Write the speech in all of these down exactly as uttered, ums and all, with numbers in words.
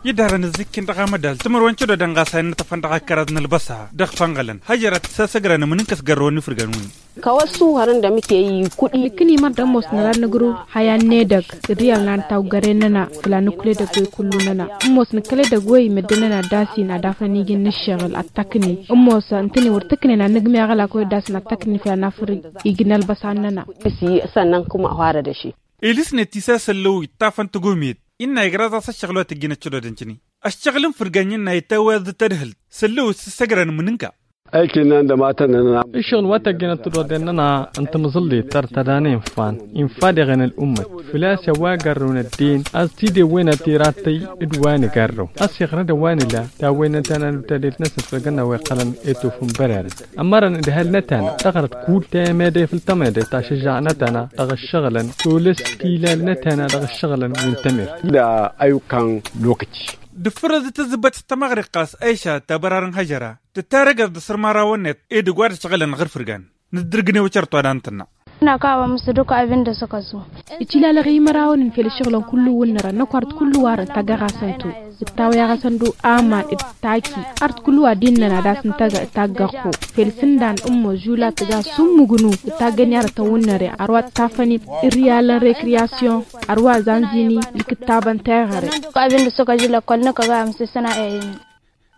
Idarăn ǝzzǝkken dăɣ-amădal timǝrwen cădodăn ɣas a innă tăfăn dăɣ-akăraḍ n-ălbăsa dăɣ-fănɣălăn hăjărat s-asăgrăn ǝmǝnǝnk ăsgărrăwăn ifǝrgan-wǝnnin. Kăwăssu hărăn d-amǝtey kuɗi. Nǝkkǝni mărdăn ămoos năra nǝgrǝw haya n-edăgg ǝrriyal n-ad-tawgăren-năna făll-ad-nǝkul edăgg-wi kullu-năna. Ămoos nǝkkăl edăgg-wi meddǝn-năna ad-dd-asin ad-afăn iji n-ǝššăɣǝl ad-tăkni. Ămoos ǝntănen wăr tǝknen ad-nǝgmi aɣălak wi dd-asǝn ad-tăkni făll-ad-nafăr iji n-ălbăsan-năna. Săn n-kǝm a oharăd ăššin. Ilǝsnet isa s-ăllăw ittafăn tăgomiyăt innă igrăẓ-as ăššăɣǝl wa tăjjǝn ăccădodăn cǝni ăššăɣǝl n-fǝrgan innă itawweḍ d-tadhǝlt s-ăllăw s-ǝssăgrăn mǝnǝnka. Ăyk innăn d-ămatăn-nănăɣ. Ǝššăɣǝl wa tăjjǝn ăttădodăn-nănăɣ n-tamǝẓǝllit tăr tădane infa-n infa deɣen ăl'ummăt făl-a-s a-wa gărrǝwăn ăddin a-s tidewwen a tirattăy d-wa nǝgărrǝw a-s iɣrăd a-wa nǝla tawwen n-tana n-utadelt-năsăn făll-gănna wa iqqălăn i-tufǝn bărarăn. Ămmărăn ǝdhal n-etana dăɣ-răd kull temede făll-temede tašǝžžaɣ n-etana dăɣ-ǝššăɣǝlăn tolăs tilal n-etana dăɣ-ǝššăɣǝlăn wi n-temert. D-ayukan lokăci. D-ǝffărăẓ d-tǝzzǝbbăt s-tămăɣriqqa s-ayša tabărarăn hăžăra tǝttarăgăẓ d-asărmarawăn-net edăgg wa d-ǝššăɣǝlăn ɣǝr-fǝrgan. Nǝddǝrgǝnew cărt wa d-antănna. Năkawăm s-dukwa abin d-asăkăsu. Itilalăɣ imărawăn n-fel ǝššăɣǝlăn kullu wǝnnărăn năkwart kullu warăn tagăɣasăn-tu. Ǝttawăy aɣăsăn-du aman d-taki art kullu wa d-innăn ad-as-nǝtagăɣ taggăɣ-ho. Fel sǝndan ǝmmos žula tǝga summǝgnu d-taggăn i-arătăn wǝnnăre arwa t-tafănin irriyalăn rekriyasyon arwa zanzini. Ikǝttabăn teɣăre. Abin d-asăkăsu lăkkol năkk ăgg-a amsǝsăn a e-inin.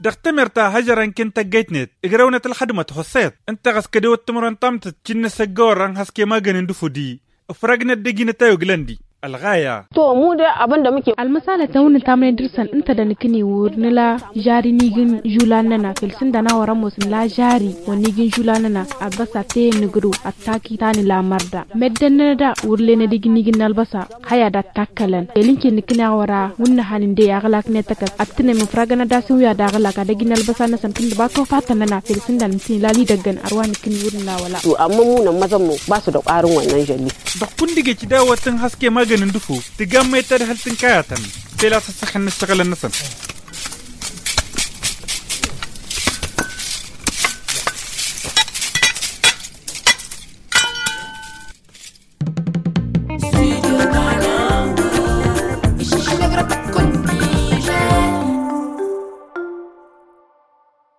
Dăɣ-temert a hăžărăn ken tăggăyt-net ǝgrăwnăt ălxădmăt hossăyăt ǝnta ɣas kădewăt timǝrwen tamtǝt cinna s-ăggăwărrăn haske magăn n-dufudi. Ǝfrăgnăt d-ejinăt a oglăndi ălɣaya. To mude abăndămǝke. Ălmăsalătăn wǝnnǝn tamnen dăr-săn ǝnta dănăkni wăr nǝla žari n-ijǝn žulan-năna fel sǝndan a wăr-ămoos nǝla žari wăr n-ijǝn žulan-năna. Ălbăsa teyăn nǝgrǝw ăttaki ta nǝla mărda meddǝn-nănăd a wăr lenăd ijǝn ijǝn n-ălbăsa. Hăy ad-ăttakkălăn fel ǝnken nǝkkǝneɣ wăr-a wǝnnăhan ǝndey aɣlak-net ăkall ăttǝnem ǝfragăn ad-asǝn wi ad-aɣlak ad-ăj n-ălbăsa-năsăn kǝndǝba tofatăn-năna fel sǝndan ǝntin ila n-idăggăn ărwa nǝkkǝni wăr nǝla wăla. Amma munăn măzămmu ba s-dăɣ-arǝwăn n-anžălli. Dăɣ-kundigăj dawăt n-haske magăn n-dǝfo tǝgammăyăt tadhǝlt n-kayatăn fel a-s ăssăxăn n-ǝššăɣǝlăn-năsăn.